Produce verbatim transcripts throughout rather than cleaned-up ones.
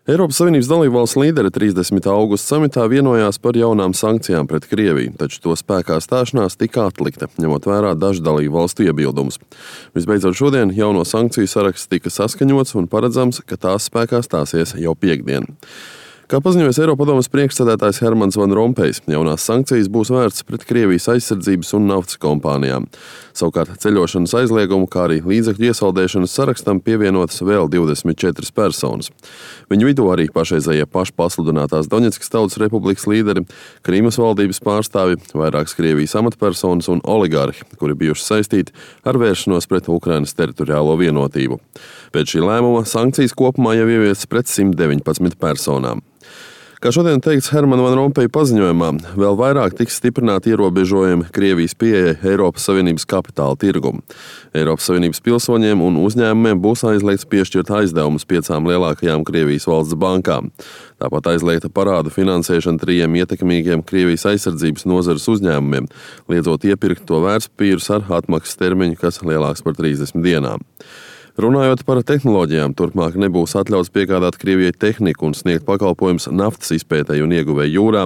Eiropas Savienības dalībvalstu līderi trīsdesmitā augusta samitā vienojās par jaunām sankcijām pret Krieviju, taču to spēkā stāšanās tika atlikta, ņemot vērā dažu dalībvalstu iebildumus. Visbeidzot šodien jauno sankciju saraksts tika saskaņots un paredzams, ka tās spēkā stāsies jau piektdien. Kā paziņoja Eiropadomes priekšsēdētājs Hermans Van Rompējs, jaunās sankcijas būs vērstas pret Krievijas aizsardzības un naftas kompānijām. Savukārt ceļošanas aizliegumu, kā arī līdzekļu iesaldēšanas sarakstam pievienotas vēl divdesmit četras personas. Viņu vidū arī pašreizējie pašpasludinātās Doņetskas Tautas Republikas līderi, Krīmas valdības pārstāvi, vairākas Krievijas amatpersonas un oligarhi, kuri bijuši saistīti ar vēršanos pret Ukrainas teritoriālo vienotību. Pēc šī lēmuma sankcijas kopumā jau ieviestas pret simt deviņpadsmit personām. Kā šodien teikts Hermana Van Rompeja paziņojumā, vēl vairāk tiks stiprināti ierobežojumi Krievijas pieeja Eiropas Savienības kapitāla tirgumu. Eiropas Savienības pilsoņiem un uzņēmumiem būs aizliegts piešķirt aizdevumus piecām lielākajām Krievijas valsts bankām. Tāpat aizliegta parādu finansēšana trījiem ietekmīgiem Krievijas aizsardzības nozares uzņēmumiem, liedzot iepirkt to vērtspapīrus ar atmaksas termiņu, kas lielāks par trīsdesmit dienām. Runājot par tehnoloģijām, turpmāk nebūs atļauts piegādāt Krievijai tehniku un sniegt pakalpojumus naftas izpētei un ieguvēju jūrā,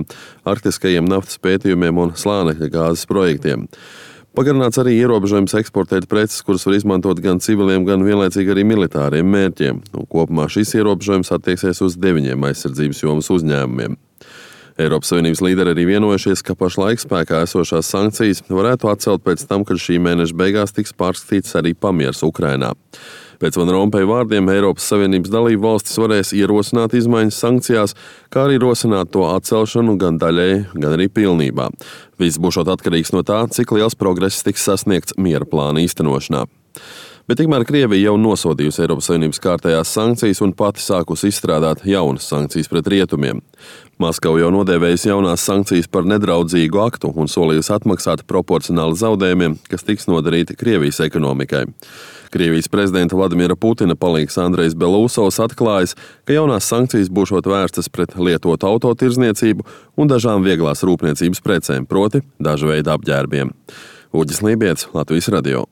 arktiskajiem naftas pētījumiem un slānekļa gāzes projektiem. Pagarināts arī ierobežojums eksportēt preces, kuras var izmantot gan civiliem, gan vienlaicīgi arī militāriem mērķiem. Un kopumā šis ierobežojums attieksies uz deviņiem aizsardzības jomas uzņēmumiem. Eiropas Savienības līderi arī vienojušies, ka pašlaik spēkā esošās sankcijas varētu atcelt pēc tam, kad šī mēneša beigās tiks pārskatīts arī pamiers Ukrainā. Pēc Van Rompeja vārdiem Eiropas Savienības dalību valstis varēs ierosināt izmaiņas sankcijās, kā arī rosināt to atcelšanu gan daļēji, gan arī pilnībā. Viss būšot atkarīgs no tā, cik liels progress tiks sasniegts miera plāna īstenošanā. Bet tikmēr Krievija jau nosodījusi Eiropas Savienības kārtējās sankcijas un pati sākusi izstrādāt jaunas sankcijas pret rietumiem. Maskava jau nodēvējusi jaunās sankcijas par nedraudzīgu aktu un solījusi atmaksāt proporcionāli zaudējumiem, kas tiks nodarīti Krievijas ekonomikai. Krievijas prezidenta Vladimira Putina palīgs Andrejs Belūsovs atklājis, ka jaunās sankcijas būšot vērstas pret lietotu autotirzniecību un dažām vieglās rūpniecības precēm, proti dažu veidu apģērbiem. Uģis Lībijets, Latvijas radio.